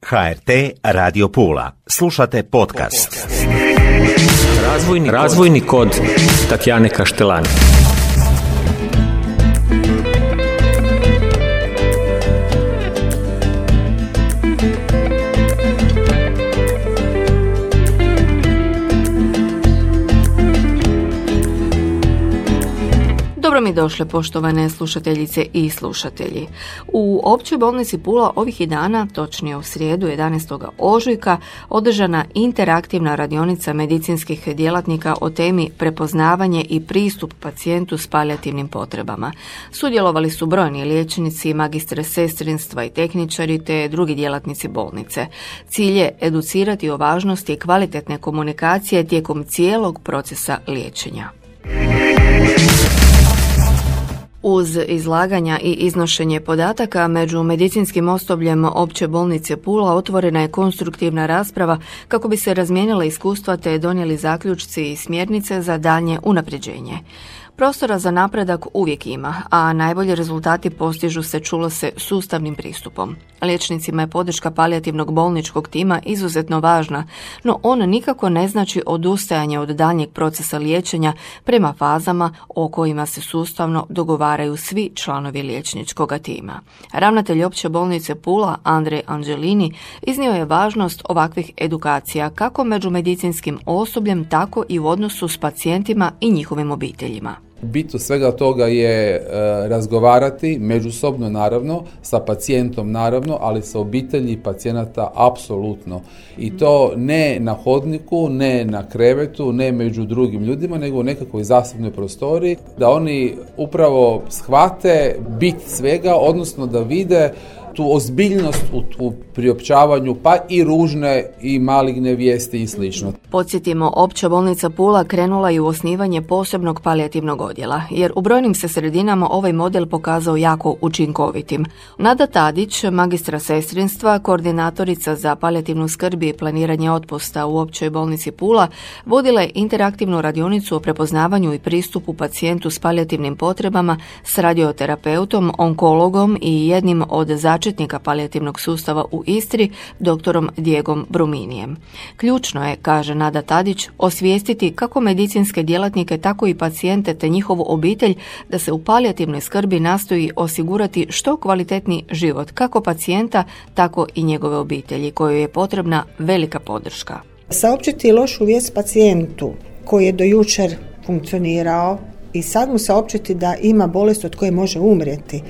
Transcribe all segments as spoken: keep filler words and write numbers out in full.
ha er te Radio Pula. Slušate podcast. Razvojni, razvojni kod Tatjane Kaštelani. Dobro mi došle, poštovane slušateljice i slušatelji. U Općoj bolnici Pula ovih je dana, točnije u srijedu jedanaestog ožujka, održana interaktivna radionica medicinskih djelatnika o temi prepoznavanje i pristup pacijentu s palijativnim potrebama. Sudjelovali su brojni liječnici, magistre sestrinstva i tehničari te drugi djelatnici bolnice. Cilj je educirati o važnosti kvalitetne komunikacije tijekom cijelog procesa liječenja. Uz izlaganja i iznošenje podataka među medicinskim osobljem Opće bolnice Pula otvorena je konstruktivna rasprava kako bi se razmijenila iskustva te donijeli zaključci i smjernice za daljnje unapređenje. Prostora za napredak uvijek ima, a najbolji rezultati postižu se, čulo se, sustavnim pristupom. Liječnicima je podrška palijativnog bolničkog tima izuzetno važna, no on nikako ne znači odustajanje od daljnjeg procesa liječenja prema fazama o kojima se sustavno dogovaraju svi članovi liječničkog tima. Ravnatelj Opće bolnice Pula, Andrej Angelini, iznio je važnost ovakvih edukacija kako među medicinskim osobljem, tako i u odnosu s pacijentima i njihovim obiteljima. Bit svega toga je e, razgovarati međusobno, naravno, sa pacijentom naravno, ali sa obitelji pacijenata apsolutno. I to ne na hodniku, ne na krevetu, ne među drugim ljudima, nego u nekakvoj zasebnoj prostoriji, da oni upravo shvate bit svega, odnosno da vide tu ozbiljnost u, u priopćavanju, pa i ružne i maligne vijesti i slično. Podsjetimo, Opća bolnica Pula krenula je u osnivanje posebnog palijativnog odjela, jer u brojnim se sredinama ovaj model pokazao jako učinkovitim. Nada Tadić, magistra sestrinstva, koordinatorica za palijativnu skrb i planiranje otpusta u Općoj bolnici Pula, vodila je interaktivnu radionicu o prepoznavanju i pristupu pacijentu s palijativnim potrebama s radioterapeutom, onkologom i jednim od začetnika palijativnog sustava u Istri, doktorom Diegom Bruminijem. Ključno je, kaže Nada Tadić, osvijestiti kako medicinske djelatnike, tako i pacijente te njihovu obitelj da se u palijativnoj skrbi nastoji osigurati što kvalitetniji život kako pacijenta, tako i njegove obitelji, kojoj je potrebna velika podrška. Saopćiti lošu vijest pacijentu koji je do jučer funkcionirao i sad mu saopćiti da ima bolest od koje može umrijeti,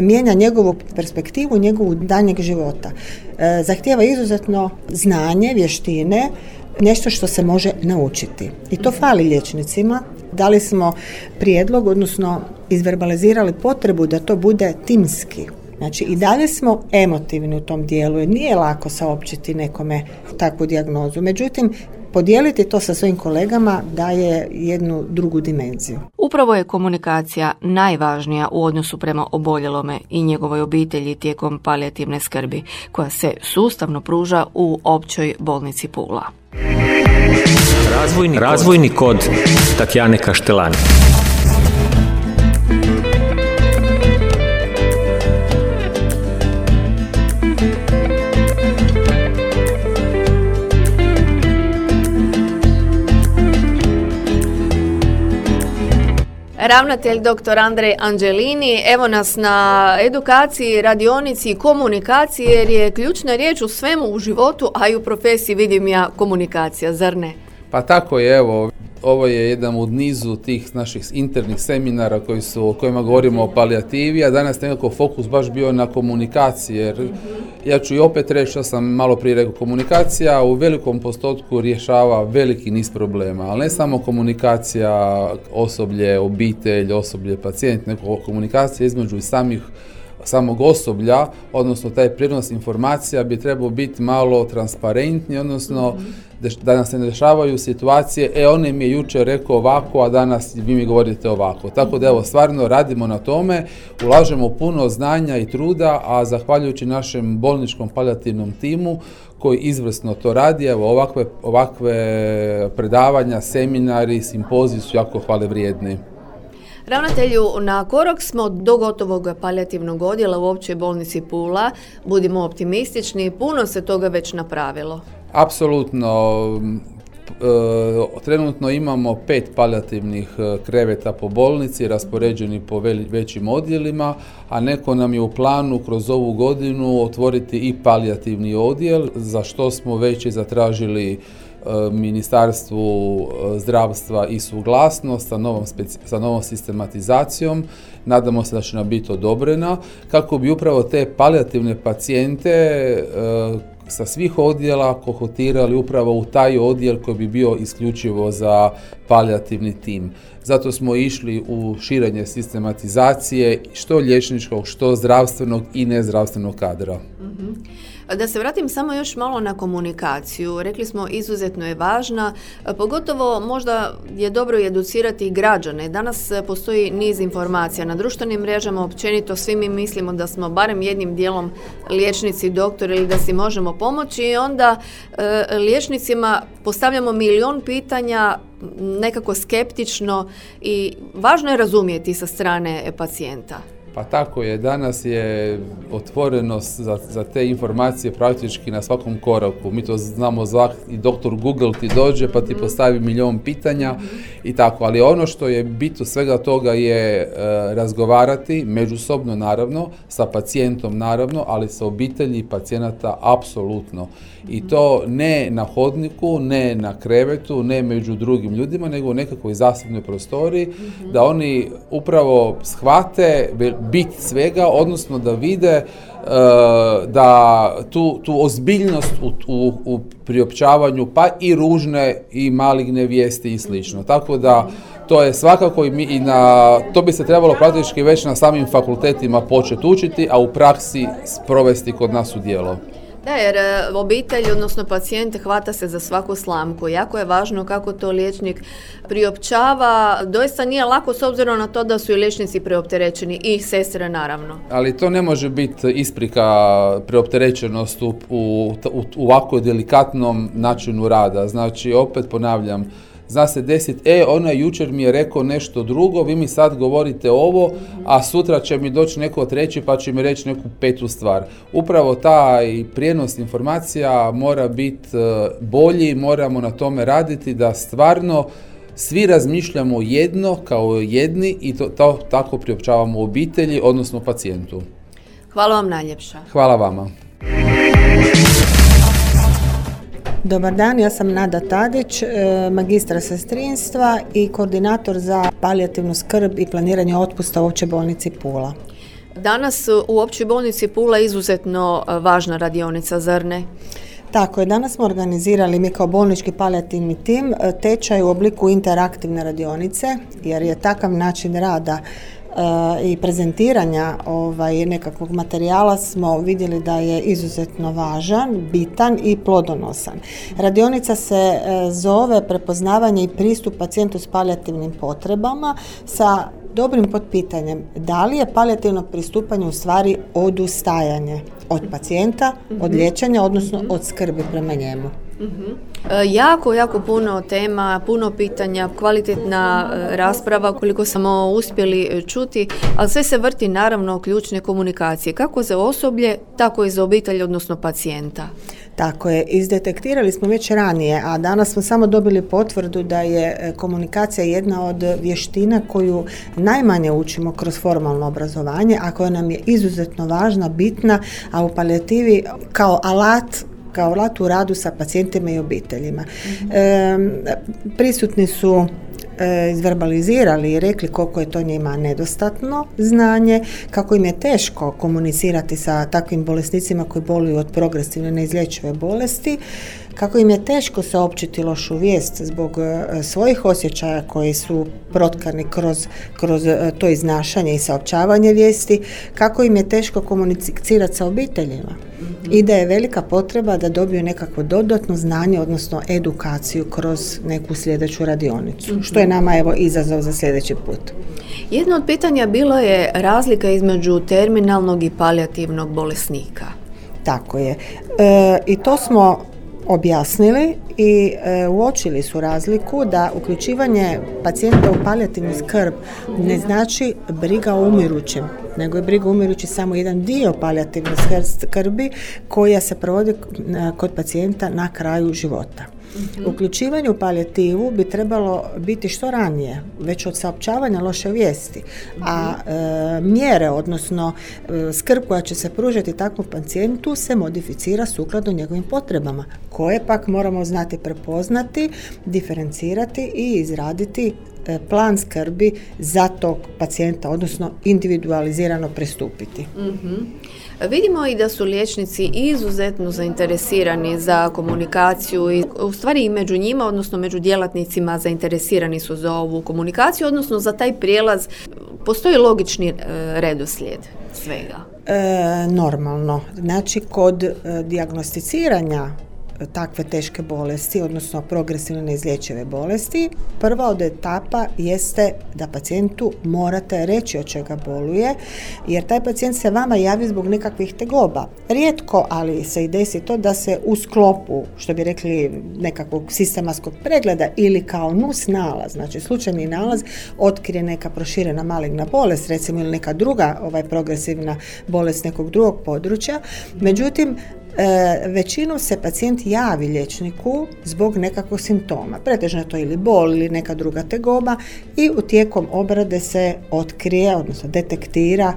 mijenja njegovu perspektivu, njegovu daljnjeg života. E, zahtijeva izuzetno znanje, vještine, nešto što se može naučiti. I to fali liječnicima. Dali smo prijedlog, odnosno izverbalizirali potrebu da to bude timski. Znači i dalje smo emotivni u tom dijelu, jer nije lako saopćiti nekome takvu dijagnozu. Međutim, podijeliti to sa svojim kolegama daje jednu drugu dimenziju. Upravo je komunikacija najvažnija u odnosu prema oboljelome i njegovoj obitelji tijekom palijativne skrbi, koja se sustavno pruža u Općoj bolnici Pula. Razvojni, razvojni kod Tatjane Kaštelani. Ravnatelj doktor Andrej Angelini, evo nas na edukaciji, radionici i komunikaciji, jer je ključna riječ u svemu u životu, a i u profesiji, vidim ja, komunikacija, zar ne? Pa tako je, evo, ovo je jedan od nizu tih naših internih seminara koji su, o kojima govorimo o palijativi, a danas nekako fokus baš bio na komunikaciji, jer ja ću i opet reći što sam malo prije rekao, komunikacija u velikom postotku rješava veliki niz problema, ali ne samo komunikacija osoblje, obitelj, osoblje, pacijent, nego komunikacija između i samih samog osoblja, odnosno taj prijenos informacija bi trebao biti malo transparentniji, odnosno da nam se ne dešavaju situacije, e on mi je jučer rekao ovako, a danas vi mi govorite ovako. Tako da evo, stvarno radimo na tome, ulažemo puno znanja i truda, a zahvaljujući našem bolničkom palijativnom timu koji izvrsno to radi, evo ovakve, ovakve predavanja, seminari, simpoziji su jako hvale vrijedni. Ravnatelju, na korak smo do gotovog palijativnog odjela u Općoj bolnici Pula. Budimo optimistični, puno se toga već napravilo. Apsolutno. E, trenutno imamo pet palijativnih kreveta po bolnici, raspoređeni po većim odjelima, a neko nam je u planu kroz ovu godinu otvoriti i palijativni odjel, za što smo već i zatražili Ministarstvu zdravstva i suglasnost sa novom, speci- sa novom sistematizacijom. Nadamo se da će nam biti odobrena kako bi upravo te palijativne pacijente e, sa svih odjela kohotirali upravo u taj odjel koji bi bio isključivo za palijativni tim. Zato smo išli u širenje sistematizacije što liječničkog, što zdravstvenog i nezdravstvenog kadra. Mm-hmm. Da se vratim samo još malo na komunikaciju. Rekli smo, izuzetno je važna, pogotovo možda je dobro educirati građane. Danas postoji niz informacija na društvenim mrežama, općenito svi mi mislimo da smo barem jednim dijelom liječnici, doktori ili da si možemo pomoći i onda e, liječnicima postavljamo milion pitanja, nekako skeptično, i važno je razumjeti sa strane pacijenta. Pa tako je, danas je otvorenost za, za te informacije praktički na svakom koraku. Mi to znamo zvati, i doktor Google ti dođe pa ti postavi milion pitanja mm-hmm. i tako, ali ono što je bit svega toga je e, razgovarati međusobno naravno, sa pacijentom naravno, ali sa obitelji pacijenata apsolutno. I to ne na hodniku, ne na krevetu, ne među drugim ljudima, nego u nekakvoj zasebnoj prostoriji, mm-hmm. da oni upravo shvate bit svega, odnosno da vide uh, da tu, tu ozbiljnost u, u, u priopćavanju, pa i ružne i maligne vijesti i slično. Tako da to je svakako i, mi, i na, to bi se trebalo praktički već na samim fakultetima početi učiti, a u praksi sprovesti kod nas u djelo. Da, jer obitelj, odnosno pacijent, hvata se za svaku slamku. Jako je važno kako to liječnik priopćava. Doista nije lako s obzirom na to da su i liječnici preopterećeni i sestre naravno. Ali to ne može biti isprika preopterećenost u, u, u ovako delikatnom načinu rada. Znači, opet ponavljam, zna se desiti, e, ona jučer mi je rekao nešto drugo, vi mi sad govorite ovo, a sutra će mi doći neko treći pa će mi reći neku petu stvar. Upravo taj prijenos informacija mora biti bolji, moramo na tome raditi da stvarno svi razmišljamo jedno kao jedni i to, to tako priopćavamo obitelji, odnosno pacijentu. Hvala vam najljepša. Hvala vama. Dobar dan, ja sam Nada Tadić, magistra sestrinstva i koordinator za palijativnu skrb i planiranje otpusta u Općoj bolnici Pula. Danas u Općoj bolnici Pula izuzetno važna radionica, zar ne? Tako je, danas smo organizirali mi kao bolnički palijativni tim tečaj u obliku interaktivne radionice, jer je takav način rada i prezentiranja ovaj, nekakvog materijala smo vidjeli da je izuzetno važan, bitan i plodonosan. Radionica se e, zove prepoznavanje i pristup pacijentu s palijativnim potrebama sa dobrim potpitanjem da li je palijativno pristupanje u stvari odustajanje od pacijenta, mm-hmm. od liječenja, odnosno mm-hmm. od skrbi prema njemu. Mm-hmm. E, jako, jako puno tema, puno pitanja, kvalitetna e, rasprava koliko smo uspjeli čuti, ali sve se vrti naravno o ključne komunikacije, kako za osoblje, tako i za obitelj, odnosno pacijenta. Tako je, izdetektirali smo već ranije, a danas smo samo dobili potvrdu da je komunikacija jedna od vještina koju najmanje učimo kroz formalno obrazovanje, a koja nam je izuzetno važna, bitna, a u palijativi kao alat kao alat u radu sa pacijentima i obiteljima. Mm-hmm. E, prisutni su e, izverbalizirali i rekli koliko je to njima nedostatno znanje, kako im je teško komunicirati sa takvim bolesnicima koji boluju od progresivne neizlječive bolesti, kako im je teško saopćiti lošu vijest zbog e, svojih osjećaja koji su protkani kroz, kroz e, to iznašanje i saopćavanje vijesti, kako im je teško komunicirati sa obiteljima. Mm-hmm. I da je velika potreba da dobiju nekakvo dodatno znanje, odnosno edukaciju kroz neku sljedeću radionicu, mm-hmm. što je nama evo izazov za sljedeći put. Jedno od pitanja bilo je razlika između terminalnog i palijativnog bolesnika. Tako je. E, I to smo objasnili i e, uočili su razliku da uključivanje pacijenta u palijativnu skrb ne znači briga o umirućem, nego je briga o umirući samo jedan dio palijativne skrbi koja se provodi kod pacijenta na kraju života. Mm-hmm. Uključivanje u palijativu bi trebalo biti što ranije, već od saopćavanja loše vijesti, a e, mjere, odnosno e, skrb koja će se pružati takvom pacijentu se modificira sukladno njegovim potrebama, koje pak moramo znati prepoznati, diferencirati i izraditi e, plan skrbi za tog pacijenta, odnosno individualizirano pristupiti. Mm-hmm. Vidimo i da su liječnici izuzetno zainteresirani za komunikaciju i u stvari i među njima, odnosno među djelatnicima zainteresirani su za ovu komunikaciju, odnosno za taj prijelaz. Postoji logični e, redoslijed svega? E, normalno. Znači, kod e, dijagnosticiranja takve teške bolesti, odnosno progresivne neizlječive bolesti, prva od etapa jeste da pacijentu morate reći od čega boluje, jer taj pacijent se vama javi zbog nekakvih tegoba. Rijetko, ali se i desi to da se u sklopu, što bi rekli, nekakvog sistematskog pregleda ili kao nus nalaz, znači slučajni nalaz, otkrije neka proširena maligna bolest, recimo, ili neka druga ovaj, progresivna bolest nekog drugog područja. Međutim, E, većinom se pacijent javi liječniku zbog nekakvog simptoma. Pretežno je to ili bol ili neka druga tegoba i u tijekom obrade se otkrije, odnosno detektira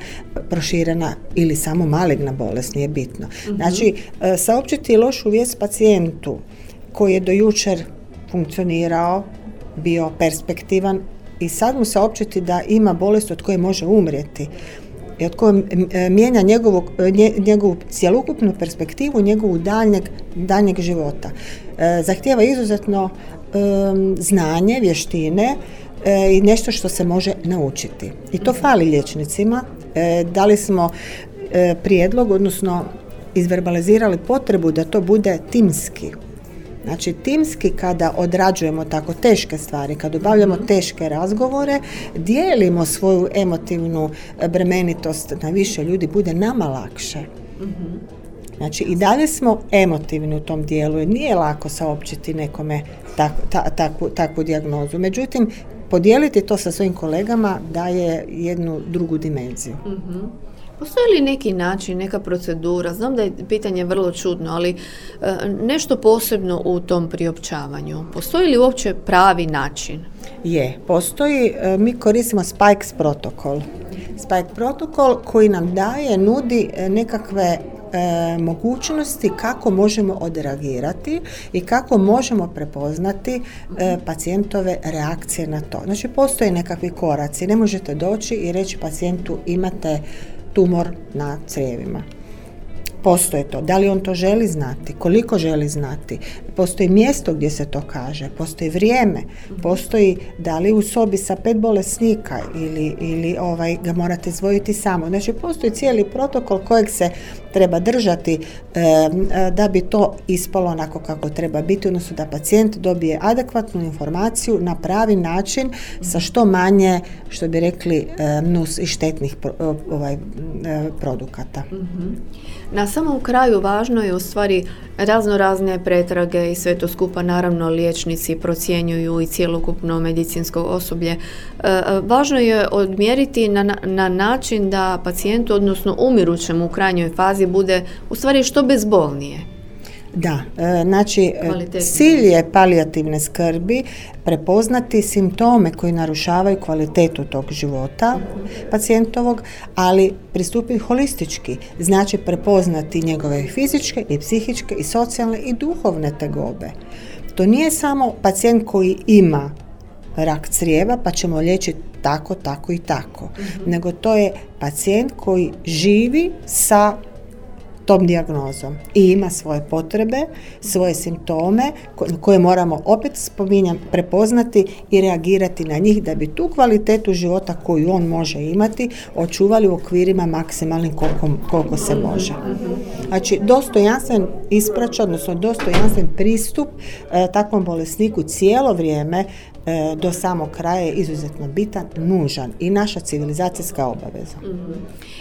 proširena ili samo maligna bolest, nije bitno. Mm-hmm. Znači, e, saopćiti lošu vijest pacijentu koji je do jučer funkcionirao, bio perspektivan i sad mu saopćiti da ima bolest od koje može umrijeti i od koje mijenja njegovu, njegovu cjelokupnu perspektivu, njegovu daljnjeg, daljnjeg života. E, zahtijeva izuzetno e, znanje, vještine e, i nešto što se može naučiti. I to fali liječnicima. E, dali smo e, prijedlog, odnosno izverbalizirali potrebu da to bude timski. Znači, timski kada odrađujemo tako teške stvari, kad obavljamo teške razgovore, dijelimo svoju emotivnu bremenitost na više ljudi, bude nama lakše. Znači, i dalje smo emotivni u tom dijelu i nije lako saopćiti nekome tak, ta, takvu, takvu dijagnozu. Međutim, podijeliti to sa svojim kolegama daje jednu drugu dimenziju. Mm-hmm. Postoji li neki način, neka procedura? Znam da je pitanje vrlo čudno, ali e, nešto posebno u tom priopćavanju. Postoji li uopće pravi način? Je, postoji. E, mi koristimo Spikes protokol. Spike protokol koji nam daje, nudi nekakve E, mogućnosti kako možemo odreagirati i kako možemo prepoznati e, pacijentove reakcije na to. Znači, postoje nekakvi koraci. Ne možete doći i reći pacijentu imate tumor na crijevima. Postoje to. Da li on to želi znati? Koliko želi znati? Postoji mjesto gdje se to kaže, postoji vrijeme, postoji da li u sobi sa pet bolesnika ili, ili ovaj, ga morate izdvojiti samo. Znači, postoji cijeli protokol kojeg se treba držati e, da bi to ispalo onako kako treba biti, odnosno da pacijent dobije adekvatnu informaciju na pravi način sa što manje, što bi rekli, e, nus i štetnih pro, ovaj, e, produkata. Mm-hmm. Na samom kraju važno je u stvari razno razne pretrage i sve to skupa, naravno liječnici procjenjuju i cjelokupno medicinsko osoblje. E, važno je odmjeriti na, na način da pacijentu, odnosno umirućem u krajnjoj fazi, bude u stvari što bezbolnije. Da, e, znači cilj je palijativne skrbi prepoznati simptome koji narušavaju kvalitetu tog života pacijentovog, ali pristupiti holistički, znači prepoznati njegove fizičke i psihičke i socijalne i duhovne tegobe. To nije samo pacijent koji ima rak crijeva pa ćemo liječiti tako, tako i tako, mm-hmm. nego to je pacijent koji živi sa tom dijagnozom i ima svoje potrebe, svoje simptome koje moramo, opet spominjam, prepoznati i reagirati na njih da bi tu kvalitetu života koju on može imati očuvali u okvirima maksimalnim koliko, koliko se može. Znači, dostojanstven ispraćaj, odnosno dostojanstven pristup e, takvom bolesniku cijelo vrijeme do samog kraja je izuzetno bitan, nužan i naša civilizacijska obaveza. Mm-hmm.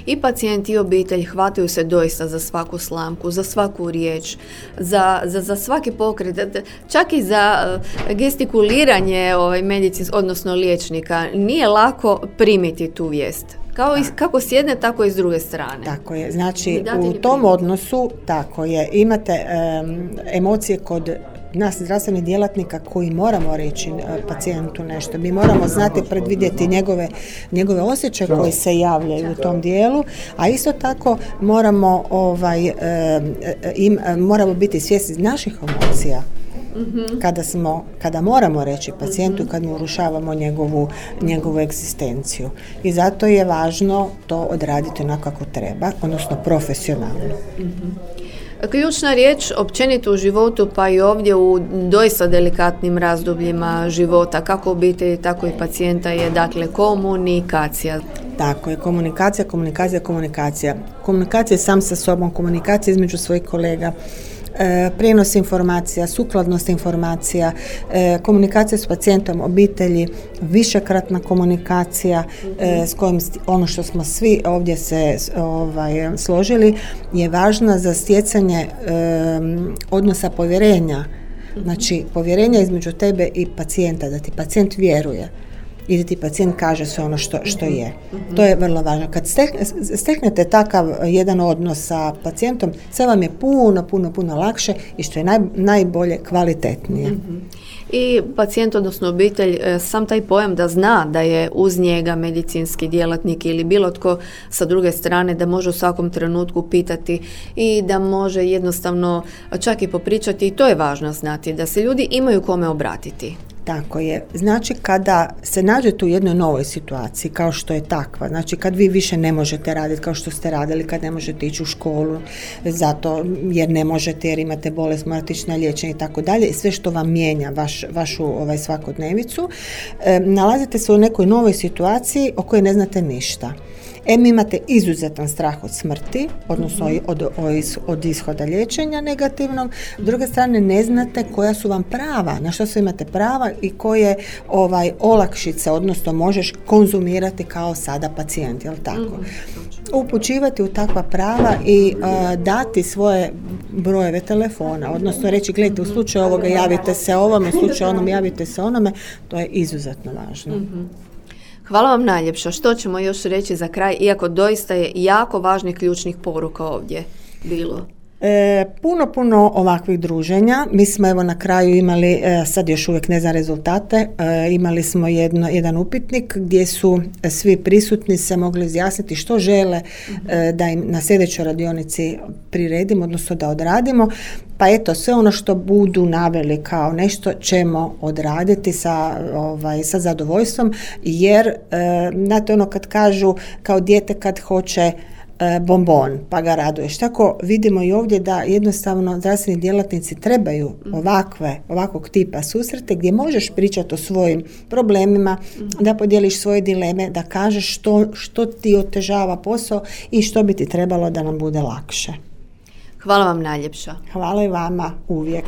I pacijent i obitelj hvataju se doista za svaku slamku, za svaku riječ, za, za, za svaki pokret, čak i za gestikuliranje ovaj, medicins, odnosno liječnika. Nije lako primiti tu vijest. Kao i, kako s jedne, tako i s druge strane. Tako je. Znači, u tom odnosu, tako je, imate um, emocije kod nas zdravstvenih djelatnika koji moramo reći pacijentu nešto. Mi moramo znati predvidjeti njegove, njegove osjećaje koji se javljaju u tom dijelu, a isto tako moramo, ovaj, im, moramo biti svjesni naših emocija. Mm-hmm. Kada, smo, kada moramo reći pacijentu, mm-hmm. kad mu urušavamo njegovu, njegovu egzistenciju. I zato je važno to odraditi onako kako treba, odnosno profesionalno. Mm-hmm. Ključna riječ općenito u životu, pa i ovdje u doista delikatnim razdobljima života, kako obitelji, tako i pacijenta, je dakle komunikacija. Tako je, komunikacija, komunikacija, komunikacija. Komunikacija sam sa sobom, komunikacija između svojih kolega, E, prijenos informacija, sukladnost informacija, e, komunikacija s pacijentom, obitelji, višekratna komunikacija e, s kojim ono što smo svi ovdje se ovaj, složili je važna za stjecanje e, odnosa povjerenja. Znači, povjerenja između tebe i pacijenta, da ti pacijent vjeruje i da ti pacijent kaže sve ono što, što je. Mm-hmm. To je vrlo važno. Kad steknete takav jedan odnos sa pacijentom, sve vam je puno, puno, puno lakše i što je naj, najbolje kvalitetnije. Mm-hmm. I pacijent, odnosno obitelj, sam taj pojam da zna da je uz njega medicinski djelatnik ili bilo tko sa druge strane, da može u svakom trenutku pitati i da može jednostavno čak i popričati, i to je važno znati, da se ljudi imaju kome obratiti. Tako je. Znači, kada se nađete u jednoj novoj situaciji, kao što je takva, znači kad vi više ne možete raditi kao što ste radili, kad ne možete ići u školu, zato jer ne možete, jer imate bolest, morate ići na liječenje i tako dalje, i sve što vam mijenja vaš, vašu ovaj, svakodnevicu, e, nalazite se u nekoj novoj situaciji o kojoj ne znate ništa. Em imate izuzetan strah od smrti, odnosno od, od, od ishoda liječenja negativnog, s druge strane ne znate koja su vam prava, na što sve imate prava i koje ovaj, olakšice, odnosno možeš konzumirati kao sada pacijent, jel tako? Upućivati u takva prava i uh, dati svoje brojeve telefona, odnosno reći, gledajte, u slučaju ovoga javite se ovome, u slučaju onom javite se onome, to je izuzetno važno. Mm-hmm. Hvala vam najljepša. Što ćemo još reći za kraj, iako doista je jako važnih ključnih poruka ovdje bilo? E, puno, puno ovakvih druženja. Mi smo evo na kraju imali, e, sad još uvijek ne znam rezultate, e, imali smo jedno, jedan upitnik gdje su svi prisutni se mogli izjasniti što žele e, da im na sljedećoj radionici priredimo, odnosno da odradimo. Pa eto, sve ono što budu naveli kao nešto ćemo odraditi sa, ovaj, sa zadovoljstvom, jer, e, znate ono kad kažu kao dijete kad hoće bombon, pa ga raduješ. Tako vidimo i ovdje da jednostavno zdravstveni djelatnici trebaju ovakve, ovakvog tipa susrete gdje možeš pričati o svojim problemima, da podijeliš svoje dileme, da kažeš što, što ti otežava posao i što bi ti trebalo da nam bude lakše. Hvala vam najljepša. Hvala i vama uvijek.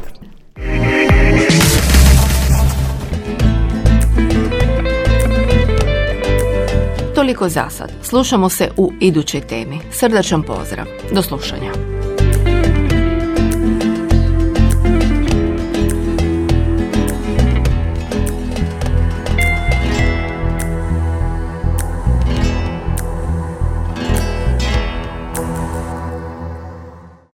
Toliko za sad. Slušamo se u idućoj temi. Srdačan pozdrav. Do slušanja.